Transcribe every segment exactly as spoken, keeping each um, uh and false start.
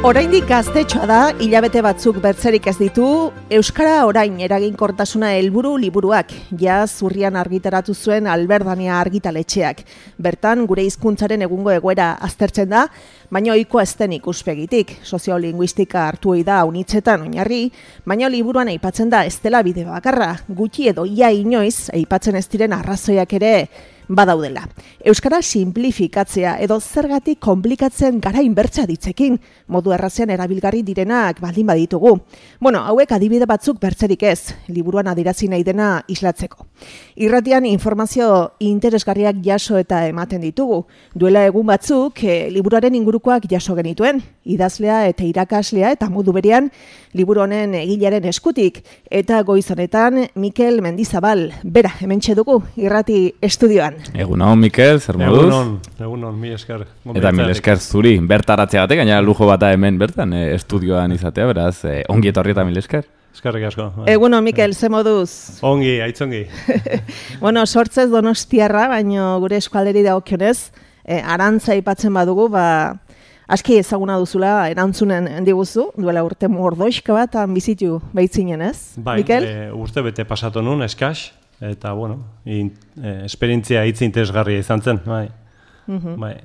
Oraindik gaztetxoa da, hilabete batzuk bertzerik ez ditu, Euskara orain eraginkortasuna helburu liburuak, jaz urrian argitaratu zuen Alberdania argitaletxeak. Bertan, gure hizkuntzaren egungo egoera aztertzen da, baina ohikoa ez den ikuspegitik. Soziolinguistika hartu ohi da unitzetan oinarri, baina liburuan aipatzen da ez dela bide bakarra, gutxi edo ia inoiz aipatzen ez diren arrazoiak ere badaudela. Euskara simplifikatzea edo zergatik konplikatzen gara inbertsa ditzekin, modu errazean erabilgarri direnak baldin baditugu. Bueno, hauek adibide batzuk bertzerik ez, liburuan adirazi nahi dena islatzeko. Irratian informazio interesgarriak jaso eta ematen ditugu. Duela egun batzuk, e, liburuaren ingurukoak jaso genituen, idazlea eta irakaslea eta modu berean liburu honen egilearen eskutik. Eta goiz honetan, Mikel Mendizabal, bera, hementxe dugu, irrati estudioan. Egunon, Mikel, zer moduz? Egunon, egunon, mil esker. Eta mil esker zuri, bertaratzea batek, gaina lujo bata hemen bertan, e, estudioan izatea, beraz, e, ongi etorri eta mil esker. Eskerrik asko. Egunon, Mikel, ze moduz? Ongi, aitzongi. Bueno, sortzez donostiarra, baino gure eskualderi dagokionez, e, arantza aipatzen badugu, ba, aski ezaguna duzula erantzunen diguzu, duela urte mordoixka bat bizitu baitzinen, ez? Bai, Mikel? e, urte bete pasatu nun, eskas, eta, bueno, in, e, esperientzia hitz interesgarria izan zen, bai. Uh-huh. Bai.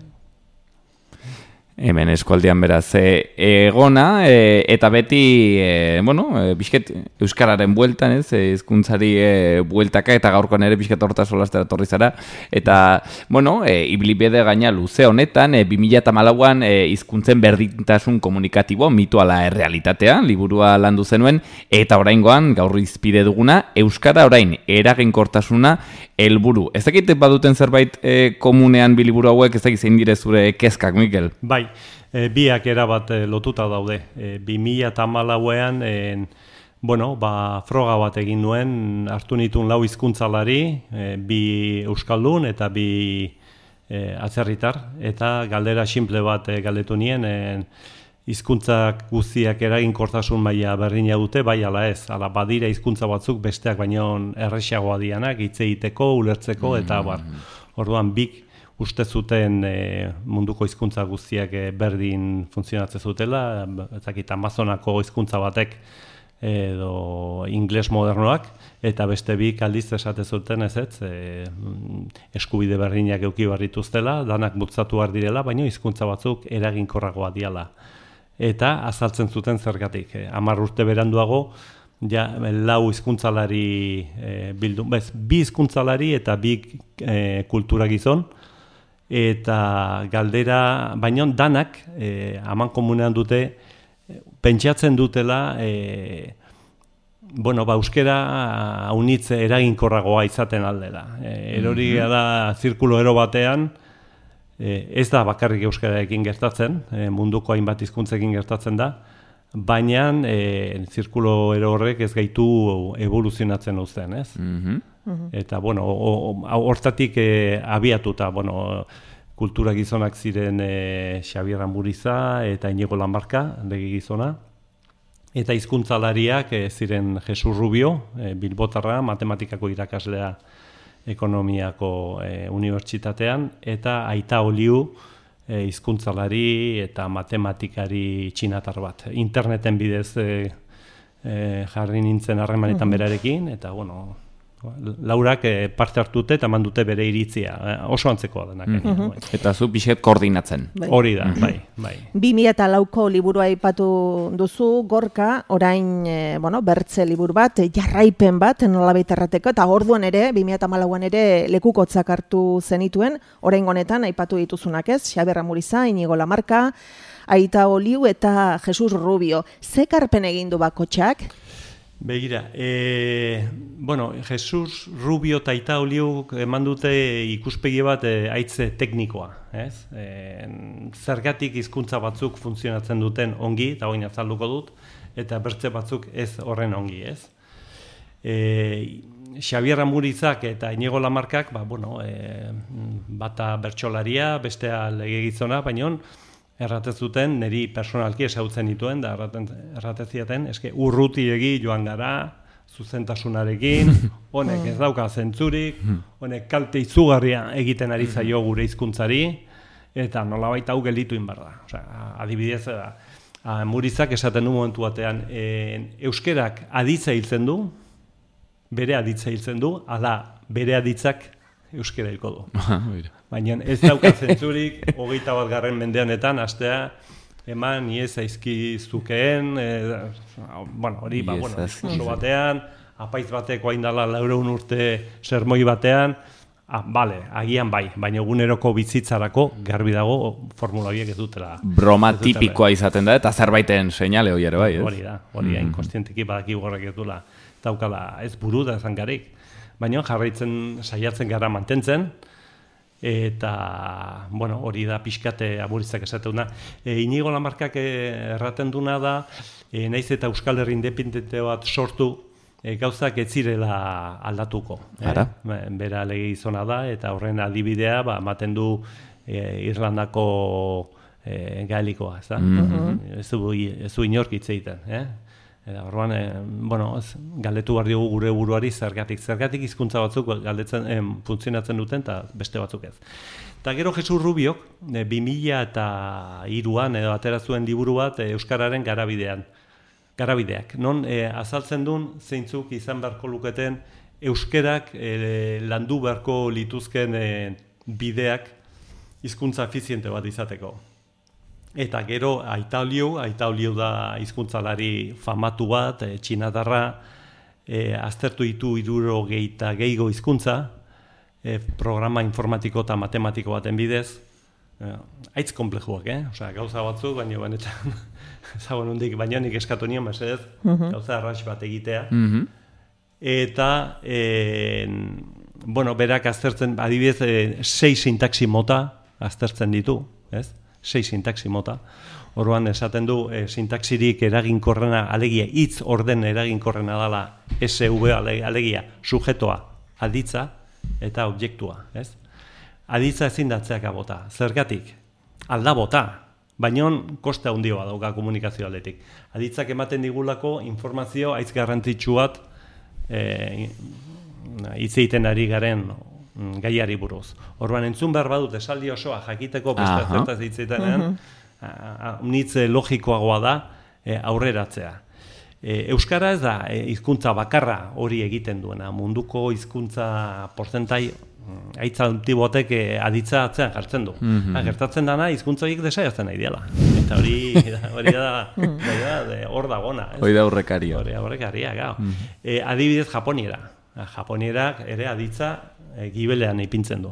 Hemen eskualdean beraz e, egona, e, eta beti, e, bueno, e, bizket euskararen bueltan, ez, hizkuntzari e, bueltaka, eta gaurkoan ere bizket horta solastera torri zara, eta, bueno, e, ibilbide gaina luze honetan, e, bi mila hamalauan e, hizkuntzen berdintasun komunikatibo, mitu ala errealitatea, liburua landu zenuen, eta oraingoan, gaur izpide duguna, euskara orain eraginkortasuna helburu. Ez dakit baduten zerbait e, komunean biliburu hauek, ez dakit zein dire zure kezkak, Mikel? Bai, e, biak erabat e, lotuta daude. E, bi mila hamalauean, e, bueno, ba, froga bat egin nuen, hartu nituen lau hizkuntzalari, e, bi euskaldun eta bi e, atzerritar, eta galdera simple bat e, galdetu nien, e, hizkuntzak guztiak eraginkortasun maila berdina dute, bai ala ez, ala badira hizkuntza batzuk besteak baino erresagoa dianak, hitz egiteko, ulertzeko, eta bar, orduan bik uste zuten e, munduko hizkuntza guztiak e, berdin funtzionatzen zutela, ez dakit Amazonako hizkuntza batek edo ingles modernoak, eta beste bik aldiz esate zuten ez ez, e, eskubide berdinak eduki barrituztela, danak bultzatu behar direla, baina hizkuntza batzuk eraginkorragoa diala. Eta azaltzen zuten zergatik. Hamar urte beranduago, ja, lau hizkuntzalari e, bildu, bez, bi hizkuntzalari eta bi e, kultura gizon, eta galdera, baina danak, e, aman komunean dute, pentsatzen dutela, e, bueno, ba, euskera haunitze eraginkorragoa izaten aldela. E, erori da zirkulo ero batean, ez da bakarrik euskararekin gertatzen, munduko hainbat hizkuntzekin gertatzen da, baina e, zirkulo ero horrek ez gaitu evoluzionatzen uzten, ez? Mm-hmm. Eta, bueno, hortatik e, abiatuta, bueno, kultura gizonak ziren e, Xabier Amuriza eta Inigo Lamarca, lege gizona, eta hizkuntzalariak e, ziren Jesus Rubio, e, bilbotarra, matematikako irakaslea ekonomiako e, unibertsitatean, eta Aita Oliu e, hizkuntzalari eta matematikari txinatar bat. Interneten bidez e, e, jarri nintzen harremanetan berarekin, eta bueno, Laurak e, parte hartute eta mandute bere iritzia, e, oso antzekoa denak. Mm-hmm. Eta zu pixet koordinatzen. Hori da, bai, bai. bi mila lauko liburua aipatu duzu, Gorka, orain, e, bueno, bertze liburu bat, jarraipen bat, nolabait errateko, eta orduan ere, bi mila hamalauan ere lekukotzak hartu zenituen, orain honetan aipatu dituzunak ez, Xabier Amuriza, Inigo Lamarca, Aita Oliu eta Jesus Rubio. Ze karpen egin du bakotxak? Begira, e, bueno, Jesus Rubio eta Aita Oliu eman dute ikuspegi bat e, aitze teknikoa, ez? E, zergatik hizkuntza batzuk funtzionatzen duten ongi, eta hoin azalduko dut, eta bertze batzuk ez horren ongi, ez? E, Xabier Amurizak eta Inigo Lamarcak, ba, bueno, e, bata bertsolaria, bestea legegizona, baina erratez duten, niri personalki ezagutzen dituen, da erratez ziaten, eske urrutiegi joan gara, zuzentasunarekin, honek ez dauka zentzurik, honek kalte izugarria egiten ari zaio gure hizkuntzari, eta nolabait hau gelditu inbar da. Osea, adibidez, da, Murizak esaten du momentu batean, e, euskerak aditza hiltzen du, bere aditza hiltzen du, ala bere aditzak euskera hilko du. Baina ez dauka zentzurik, hogeita bat garren mendeanetan, astea, eman, iez aizkizukeen, e, bueno, hori, ba, bueno, diskurso batean, apaiz bateko haindala laureun urte sermoi batean, ah, bale, agian bai, baina eguneroko bizitzarako garbi dago formula horiek ez dutela. Broma tipikoa izaten da, eta zerbaiten seinale hori ere bai, ez? Hori da, hori da, inkonstientiki badaki gorrak ez dula, daukala ez buru da zangarik. Baina jarraitzen saiatzen gara mantentzen, eta, bueno, hori da pixkate Amurizak esaten duna. E, Inigo Lamarkak erraten duna da, e, naiz eta Euskal Herri independente bat sortu, e, gauzak ez zirela aldatuko. Ara? E, bera lege izona da, eta horren adibidea, ba, ematen du e, Irlandako e, gaelikoa, ez da? Mm-hmm. Ez du, ez du inork hitz egiten, eh? Eta orduan, e, bueno, ez, galdetu behar diogu gure buruari zergatik. Zergatik hizkuntza batzuk galdetzen, e, funtzionatzen duten, eta beste batzuk ez. Eta gero Jesus Rubiok, e, bi mila eta hiruan edo atera zuen liburu bat e, Euskararen garabidean. Garabideak. Non e, azaltzen duen zeintzuk izan beharko luketen euskerak e, landu beharko lituzken e, bideak hizkuntza efiziente bat izateko. Eta gero Aitaulio, Aitaulio da hizkuntzalari famatu bat, e, txinatarra, e, aztertu ditu hirurogeita gehiago hizkuntza, e, programa informatiko eta matematiko baten bidez, e, aitz komplejuak, eh? Osea, gauza batzuk, baina benetan, zagoen hundik, baina nik eskatu nion, mesedez, uh-huh. gauza arras bat egitea. Uh-huh. Eta, e, bueno, berak aztertzen, adibidez, e, sei sintaxi mota aztertzen ditu, ez? sei sintaxi mota. Orduan esaten du e, sintaxirik eraginkorrena, alegia hitz orden eraginkorrena dela S V alegia sujetoa, aditza eta objektua, ez? Aditza ezin datzeak bota. Zergatik? Alda bota, baina koste handia dauka komunikazio aldetik. Aditzak ematen digulako informazio haitz garrantzitsu bat e, hitz egiten ari garen gaiari buruz. Orduan entzun behar badut esaldi osoa jakiteko beste zertaz hitzetenean, nitz logikoagoa da e, aurreratzea. E, Euskara ez da e, hizkuntza bakarra hori egiten duena. Munduko hizkuntza porzentai haitza antibotek e, aditza atzean jartzen du. Mm-hmm. Ha, gertatzen dana hizkuntza horiek desaiatzen nahi diala. Eta hori hori da hor da gona. Hori da aurrekaria. Hori aurrekaria, gau. Mm-hmm. E, adibidez Japoniera. Japonierak ere aditza e, gibelean ipintzen du.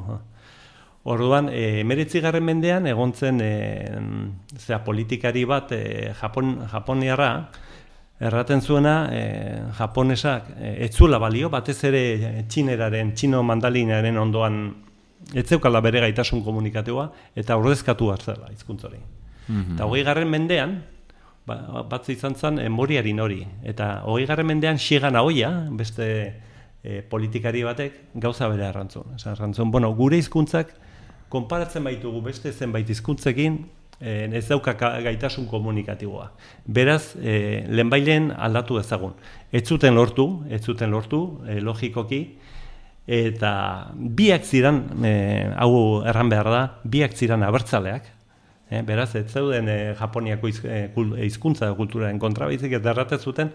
Orduan, e, emeretzigarren mendean egon zen e, zera, politikari bat e, Japon, Japoniarra erraten zuena e, japonesak e, ez zuela balio, batez ere txineraren, txino mandalinaren ondoan ez zeukala bere gaitasun komunikatiboa eta ordezkatu hartzela hizkuntza hori. Mm-hmm. Eta hogeigarren mendean, ba, bat izan zen e, Moriarin hori, eta hogeigarren mendean Shigan Aoia, beste E, politikari batek gauza bere arrantzun. Arrantzun, bueno, gure hizkuntzak konparatzen baitugu beste zenbait hizkuntzekin e, ez dauka gaitasun komunikatiboa. Beraz, e, lehenbailen aldatu dezagun. Ez zuten lortu, ez zuten lortu, e, logikoki, eta biak ziren, e, hau erran behar da, biak ziren abertzaleak, e, beraz, ez zeuden e, Japoniako hizkuntza e, kulturaren kontra baizik eta erraten zuten,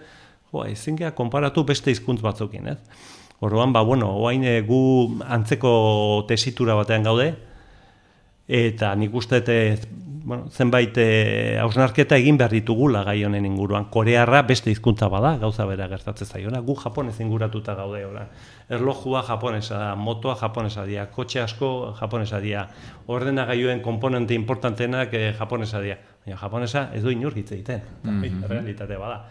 ezin gara konparatu beste hizkuntz batzukin, ez? Orduan, ba, bueno, oain gu antzeko tesitura batean gaude, eta nik uste, bueno, zenbait hausnarketa egin behar ditugula gai honen inguruan. Korearra beste hizkuntza bada, gauza bera gertatzen zaiona, gu japonez inguratuta gaude, ora. Erlojua japonesa da, motoa japonesa dira, kotxe asko japonesa dira, ordenagailuen konponente importantenak eh, japonesa dira. Baina japonesa ez du inor hitz egiten, mm-hmm. realitate bada.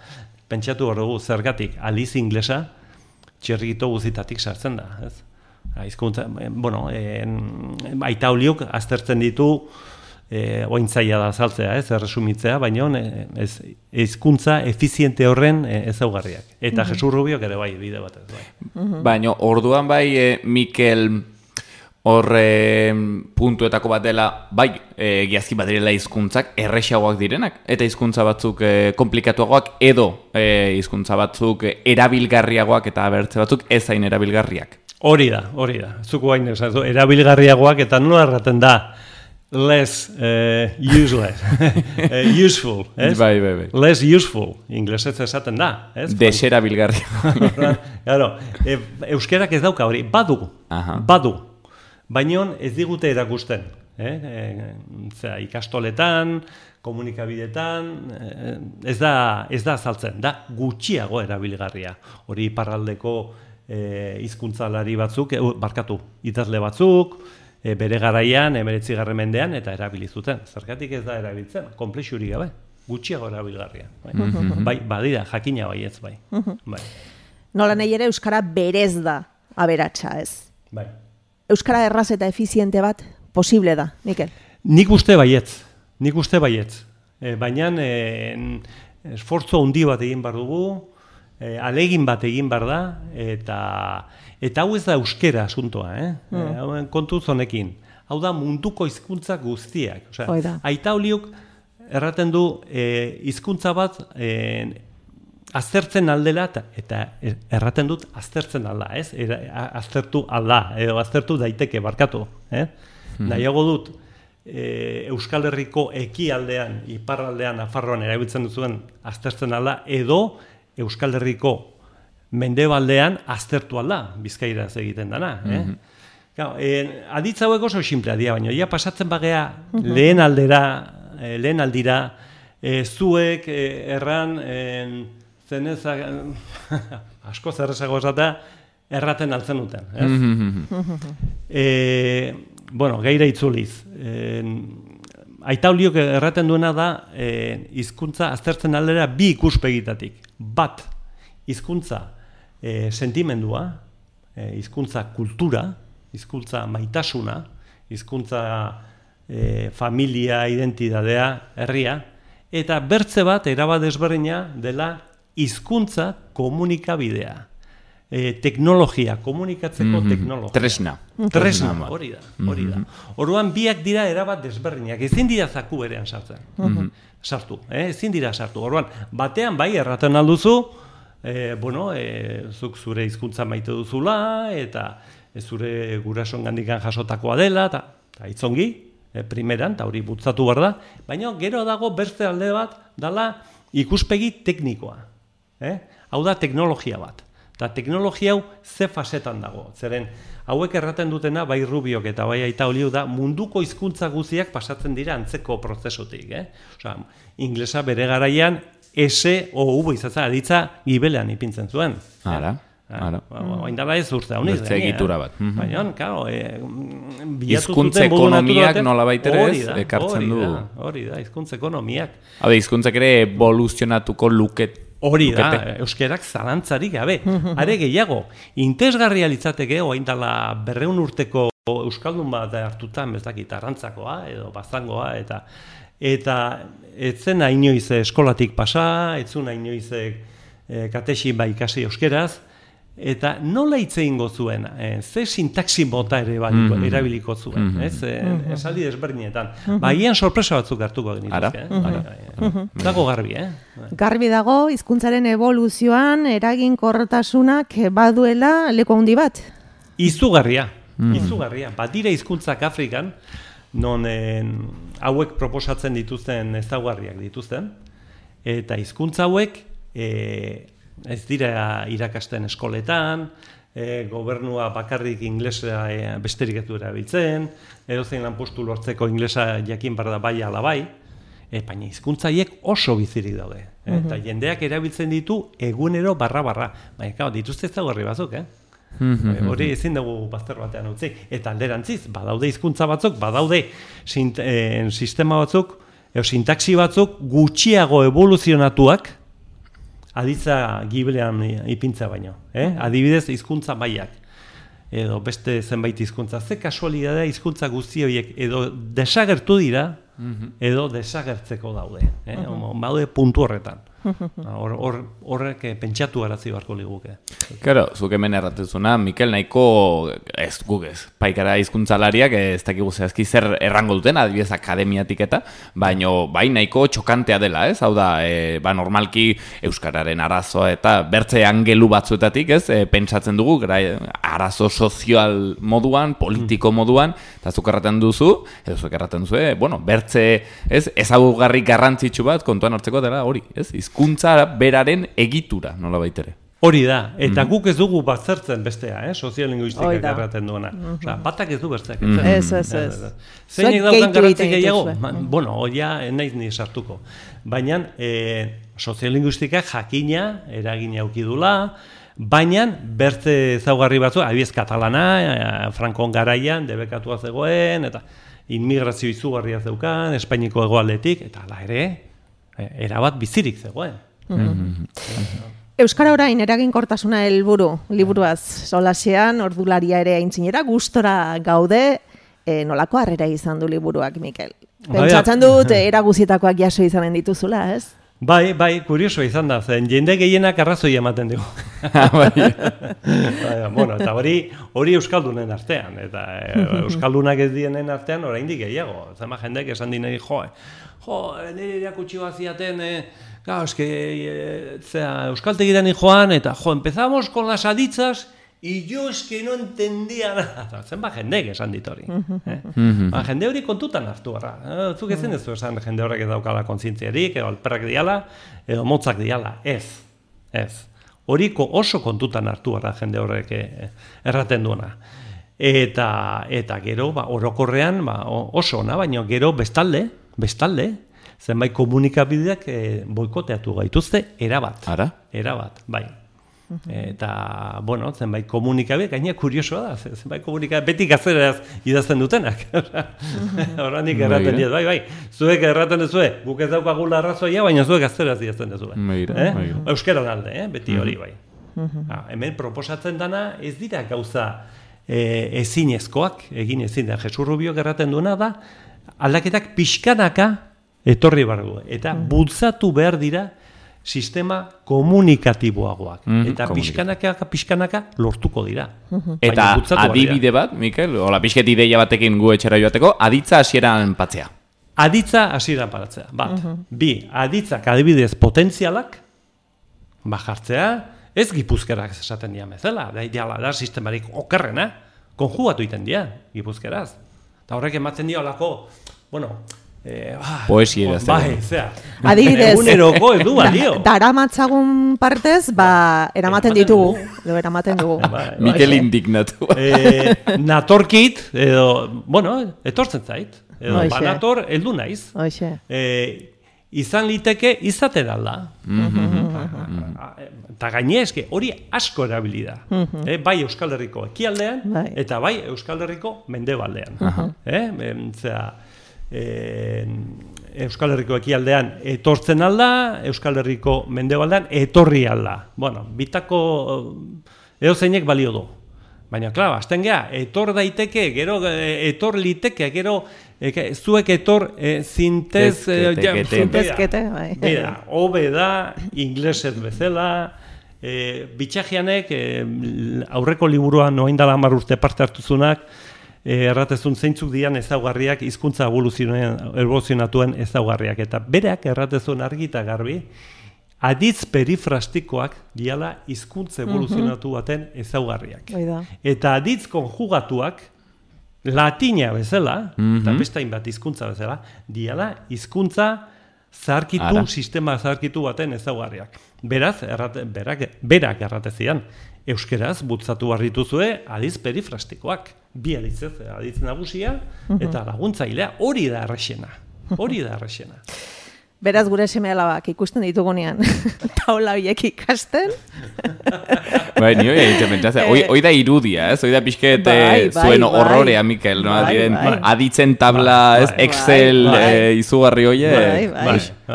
Pentsatu hor dugu, zergatik, aliz inglesa, txerrito guzitatik sartzen da, ez? Hizkuntza, bueno, e, Aitauliok aztertzen ditu, e, ointzaia da azaltzea, ez, erresumitzea, baina ez, hizkuntza efiziente horren e, ezaugarriak. Eta mm-hmm. Jesus Rubiok ere bai, bide batez, bai. Mm-hmm. Baina, orduan bai, e, Mikel... Horre puntuetako bat dela, bai, e, giazki bat direla hizkuntzak errexagoak direnak, eta hizkuntza batzuk e, komplikatuagoak, edo e, hizkuntza batzuk erabilgarriagoak eta abertze batzuk ez hain erabilgarriak. Hori da, hori da. Zuko hain erabilgarriagoak eta nola erraten da less uh, useless, uh, useful, ez? Bai, bai, bai. Less useful, inglesez esaten da, ez? Deserabilgarria. Claro, e, euskerak ez dauka hori, badu, Aha. badu, baina ez digute erakusten, eh? E, zera, ikastoletan, komunikabidetan, eh, ez da, ez da azaltzen, da gutxiago erabilgarria. Hori iparraldeko eh, hizkuntzalari batzuk, eh, barkatu, idazle batzuk, E, bere garaian, emeretzigarren mendean, eta erabili zuten. Zergatik ez da erabiltzen, konplexurik gabe, gutxiago erabilgarria. Bai, Mm-hmm. bai badira, jakina bai ez bai. bai. Nola nahi ere Euskara berez da aberatsa, ez? bai. Euskara erraz eta efiziente bat posible da, Mikel? Nik uste baietz, nik uste baietz. E, Baina e, esfortzo handi bat egin behar dugu, e, alegin bat egin behar da, eta... Eta hau ez da euskera asuntoa, eh? Mm. E, kontuz honekin. Hau da munduko hizkuntza guztiak. Osea, Aita Oliuk erraten du e, hizkuntza bat e, aztertzen aldela, eta erraten dut aztertzen alda, ez? Era, aztertu alda, edo aztertu daiteke, barkatu. Eh? Mm. Nahiago dut, e, Euskal Herriko ekialdean, iparraldean, Nafarroan erabiltzen duzuen aztertzen alda, edo Euskal Herriko mendebaldean aztertu alda, Bizkairaz egiten dana. Eh? Mm-hmm. Claro, eh, aditza hauek oso simplea dira, baina ja pasatzen bagea mm-hmm. lehen aldera, eh, lehen aldira, eh, zuek eh, erran, eh, zenezak, asko zerrezago esata, erraten altzen duten. Ez? Mm-hmm. eh, bueno, geira itzuliz. Eh, Aita Oliok erraten duena da, eh, hizkuntza aztertzen aldera bi ikuspegitatik. Bat, hizkuntza E, sentimendua, e, hizkuntza kultura, hizkuntza maitasuna, hizkuntza e, familia, identidadea, herria, eta bertze bat, erabat desberdina dela hizkuntza komunikabidea. E, teknologia, komunikatzeko mm-hmm. teknologia. Tresna. Tresna, hori da, hori da. Orduan biak dira erabat desberdinak, ezin dira zaku berean sartzen. Mm-hmm. Sartu, eh? ezin dira sartu. Orduan, batean bai erraten alduzu, E, bueno, e, zuk zure hizkuntza maite duzula, eta e, zure gurasongandikan jasotakoa dela, eta itzongi, e, primeran, eta hori bultzatu behar da, baina gero dago beste alde bat, dala ikuspegi teknikoa. Eh? Hau da teknologia bat. Eta teknologia hau ze fasetan dago. Zeren, hauek erraten dutena, bai Rubiok eta bai Aita Oliu da, munduko hizkuntza guztiak pasatzen dira antzeko prozesutik. Eh? Osea, inglesa bere garaian, S o U izatzen aditza gibelean ipintzen zuen. Ara, ara. Oain dala ez urte hau niz. Bertze egitura bat. Baina, karo, hizkuntza ekonomiak nola baiterez ekartzen du. Hori da, hizkuntza ekonomiak. Habe, hizkuntzak ere evoluzionatuko luket. Hori da, euskerak zalantzarik gabe. Are gehiago, intesgarria litzateke, oain dala berreun urteko euskaldun bat hartutan, ez dakit, arrantzakoa edo baztangoa, eta Eta etzen inoiz eskolatik pasa, etzun inoiz e, katexi ba ikasi euskeraz, eta nola hitz egingo zuen, e, ze sintaxi mota ere baliko, mm-hmm. erabiliko zuen, mm-hmm. ez? E, mm-hmm. Esaldi desberdinetan. Mm-hmm. Ba, hien sorpresa batzuk hartuko genituzke. Eh? Mm-hmm. Dago garbi, eh? Garbi dago, hizkuntzaren evoluzioan eraginkortasunak baduela leku handi bat? Izugarria, mm-hmm. izugarria. Badira hizkuntzak Afrikan, non en, hauek proposatzen dituzten ezaugarriak dituzten, eta hizkuntza hauek e, ez dira irakasten eskoletan, e, gobernua bakarrik inglesa e, besterik ez du erabiltzen, edozein lanpostu lortzeko inglesa jakin behar da bai ala bai, e, baina hizkuntza hauek oso bizirik daude. E, mm-hmm. Eta jendeak erabiltzen ditu egunero barra-barra, baina kao, dituzte ezaugarri batzuk, eh? Mm-hmm. Hori ezin dugu bazter batean utzi. Eta alderantziz, badaude hizkuntza batzuk, badaude sint, eh, sistema batzuk, edo sintaxi batzuk gutxiago evoluzionatuak aditza gibelean ipintza baino. Eh? Adibidez, hizkuntza maiak. Edo beste zenbait hizkuntza. Ze kasualidadea hizkuntza guzti horiek edo desagertu dira, mm-hmm. edo desagertzeko daude. Eh? Mm-hmm. Baude puntu horretan. Hor, hor, horrek pentsatu arazi beharko liguke. Claro, zuk hemen erratezuna, Mikel, nahiko ez guk ez, paikara hizkuntzalariak ez dakigu zehazki zer errango duten, adibidez akademiatik eta, baino bai nahiko txokantea dela, ez? Hau da, e, ba normalki euskararen arazoa eta bertze angelu batzuetatik, ez? E, pentsatzen dugu, gara, arazo sozial moduan, politiko moduan, eta zuk erraten duzu, edo zuk erraten duzu, e, bueno, bertze, ez? Ezagugarri garrantzitsu bat kontuan hartzeko dela hori, ez? Hizkuntza beraren egitura, nola baitere. Hori da, eta guk ez dugu baztertzen bestea, eh? Soziolinguistikak erraten duena. Osea, batak ez du besteak. Ez, ez, ez. Zeinek daukan garrantzi gehiago? Bueno, hoia naiz ni sartuko. Baina, soziolinguistikak jakina, eragina aukidula, baina bertze ezaugarri batzu, adibidez katalana, Frankon garaian, debekatua zegoen, eta inmigrazio izugarria zeukan, Espainiko hegoaldetik, eta hala ere, erabat bizirik zegoen. Euskara orain eraginkortasuna helburu liburuaz solasean, ordularia ere aintzinera, gustora gaude, e, nolako harrera izan du liburuak, Mikel? Pentsatzen dut, eraguzietakoak jaso izanen dituzula, ez? Bai, bai, kurioso izan da, zen jende gehienak arrazoi ematen dugu. Bueno, eta hori hori euskaldunen artean, eta euskaldunak ez dienen artean oraindik gehiago. Zema jendek esan dinei, jo, jo, nire irakutsi baziaten, claro, es que, euskaltegiran joan, eta jo, empezamos con las aditzas, y yo es que no entendía nada. Zenba jendek esan dit hori. Ba, jende hori kontutan hartu gara. Zuk ezin ez du esan jende horrek ez daukala kontzientziarik, edo alperrak diala, edo motzak diala. Ez, ez. Horiko oso kontutan hartu gara jende horrek erraten duena. Eta, eta gero, ba, orokorrean ba, oso ona, baina gero bestalde, bestalde, zenbait komunikabideak boikoteatu gaituzte, erabat. Ara? Erabat, bai. Eta, bueno, zenbait komunikabideak, gaina kuriosoa da, zenbait komunikabideak beti gazteraz idazten dutenak. Horrendik erraten diet, bai, bai. Zuek erraten duzue, guk ez daukagula arrazoia, baina zuek gazteraz idazten duzue. Euskaran alde, beti hori, bai. Hemen proposatzen dana ez dira gauza ezinezkoak, egin ezin da. Jesus Rubiok erraten duena da, aldaketak pixkanaka etorri behar du. Eta bultzatu behar dira sistema komunikatiboagoak. Eta pixkanaka, pixkanaka lortuko dira. Eta adibide bat, Mikel, hola, pixket ideia batekin gu etxera joateko, aditza hasieran patzea. Aditza hasieran patzea, bat. Bi, aditzak adibidez potentzialak, bajartzea, ez gipuzkerak esaten dian bezala, da ideala da sistemarik okerrena, konjugatu iten dira, gipuzkeraz. Eta horrek ematen dio alako, bueno, Eh, ah, poesia idazten. Bai, zea. Adibidez, eguneroko ez du balio. Daramatzagun partez, ba, eramaten ditugu. Edo eramaten dugu. Mikel indignatu. Eh, natorkit, edo, bueno, etortzen zait. Edo, banator, heldu naiz. Eh, izan liteke izaten alda. Eta gaine eske, hori asko erabili da. Eh, bai Euskal Herriko ekialdean, eta bai Euskal Herriko mendebaldean. Eh, zera, Euskal Herriko ekialdean etortzen alda, Euskal Herriko mendebaldean etorri alda. Bueno, bitako edo zeinek balio du. Baina, klar, azten geha, etor daiteke, gero etor liteke, gero zuek etor zintez... Zintezkete, bai. Mira, hobe da, inglesez bezala, bitxagianek aurreko liburuan noain dala hamar urte parte hartuzunak, erratezun zeintzuk dian ezaugarriak hizkuntza evoluzionatuen ezaugarriak. Eta bereak erratezun argi eta garbi, aditz perifrastikoak diala hizkuntza evoluzionatu baten ezaugarriak. Eta aditz konjugatuak, latina bezala, eta beste hainbat hizkuntza bezala, diala hizkuntza zaharkitu, sistema zaharkitu baten ezaugarriak. Beraz, berak erratezian, euskeraz bultzatu behar dituzue aditz perifrastikoak. Bi aditzez, aditz nagusia eta laguntzailea, hori da errexena. Hori da errexena. Beraz gure seme-alabak ikusten ditugunean taula horiek ikasten. Bai, ni hori egiten pentsatzen. Hoi da irudia, ez? Hoi da pixket zuen horrorea, Mikel, no? Aditzen tabla, Excel izugarri hori.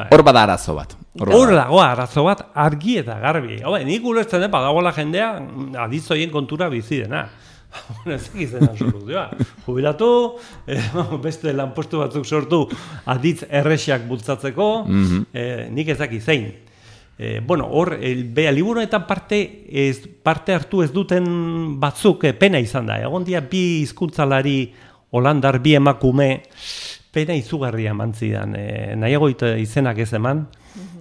Hor bada arazo bat. Hor dago arazo bat argi eta garbi. Nik ulertzen dut, badagoela jendea aditz horien kontura bizi dena. Bueno, ez egiten soluzioa. Jubilatu, beste lanpostu batzuk sortu aditz errexak bultzatzeko, nik ez daki zein. E, bueno, hor, beha, liburuetan parte, ez, parte hartu ez duten batzuk e, pena izan da. Egon dia bi hizkuntzalari holandar, bi emakume, pena izugarria eman zidan. E, nahiago izenak ez eman,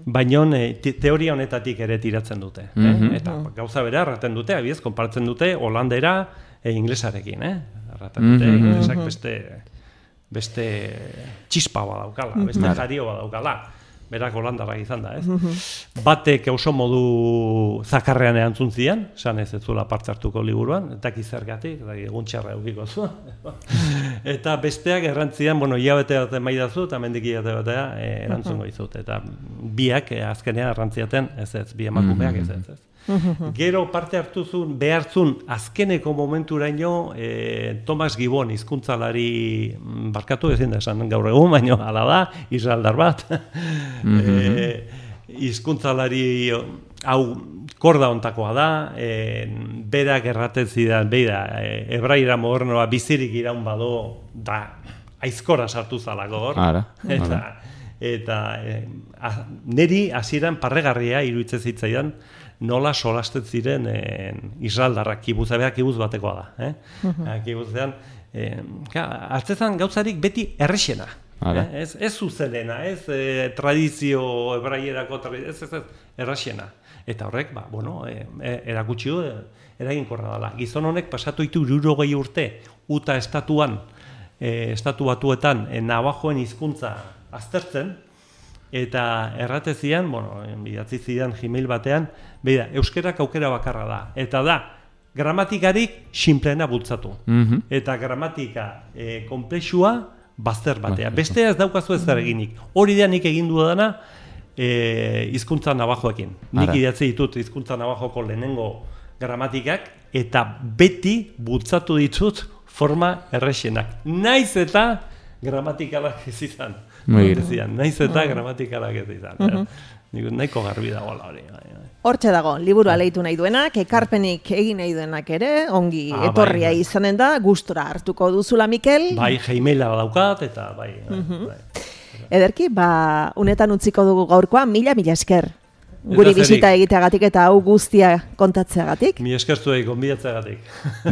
baina e, teoria honetatik ere tiratzen dute. Mm-hmm. eh? Eta gauza bera erraten dute, abiez, konpartzen dute holandera e, inglesarekin. Eh? Erraten dute, Mm-hmm. inglesak beste, beste txispa badaukala, beste jario badaukala. Berak holandarrak izan da, ez? Batek oso modu zakarrean erantzun zian, esan ez ez zuela parte hartuko liburuan, eta kizergatik, eta egun txarra eukiko zu. Eta besteak errantzian, bueno, hilabete bat maidazu, eta mendik hilabete batea eh, erantzungo izut. Eta biak eh, azkenean errantziaten, ez ez, bi emakumeak ez ez, ez. Gero parte hartuzun, behartzun azkeneko momenturaino eh, Thomas Gibbon hizkuntzalari barkatu ezin da esan gaur egun, baina hala da, israeldar bat. Hizkuntzalari e, hau korda ontakoa da, e, berak erraten zidan, beira, e, hebraira modernoa bizirik iraun bado, da aizkora sartu zalako hor. Ara, eta eta e, a, neri hasieran parregarria iruditzen zitzaidan, nola solasten ziren eh, israeldarrak, kibuza, beha kibuz batekoa da. Eh? Uh-huh. Kibuzean, eh, hartzezan gauzarik beti errexena. Eh? Ez, ez zuzenena, ez eh, tradizio hebraierako, ez, ez, ez, errexena. Eta horrek, ba, bueno, eh, erakutsi du, eraginkorra dela. Gizon honek pasatu ditu hirurogei urte, Uta estatuan, eh, estatu batuetan, eh, Navajoen hizkuntza aztertzen, eta erratezian, bueno, bidatzi zidan Gmail batean, beida, euskerak aukera bakarra da. Eta da, gramatikarik sinpleena bultzatu. Mm-hmm. Eta gramatika e, komplexua bazter batea. Bestea ez daukazu ez zer eginik. Hori da nik egin dudana e, hizkuntza Navajoekin. Nik idatzi ditut hizkuntza Navajoko lehenengo gramatikak, eta beti bultzatu ditut forma errexenak. Naiz eta gramatikalak ez izan. Naiz eta gramatikalak ez izan. Uh-huh. eh? Nahiko garbi dagoela hori. Hortxe dago, liburua leitu nahi duenak, ekarpenik egin nahi duenak ere, ongi ah, etorria bai, bai. Izanen da, gustora hartuko duzula, Mikel. Bai, Gmaila daukat, eta bai. bai, uh-huh. bai. Ederki, ba, unetan utziko dugu gaurkoa, mila mila esker. Guri bisita egiteagatik eta hau guztia kontatzeagatik. Mi eskertuei gonbidatzeagatik.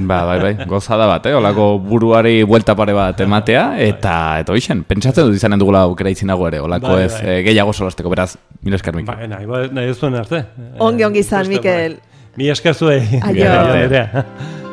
Ba, bai, bai, gozada bat, eh? Olako buruari buelta pare bat ematea, eta eta hoixen, pentsatzen dut izanen dugula aukera izinago ere, olako bai, ez bai. Eh, gehiago solasteko, beraz, mila esker, Mikel. Ba, nahi, nahi ez duen arte. Ongi, ongi izan, Mikel. Mi eskertuei. Aio.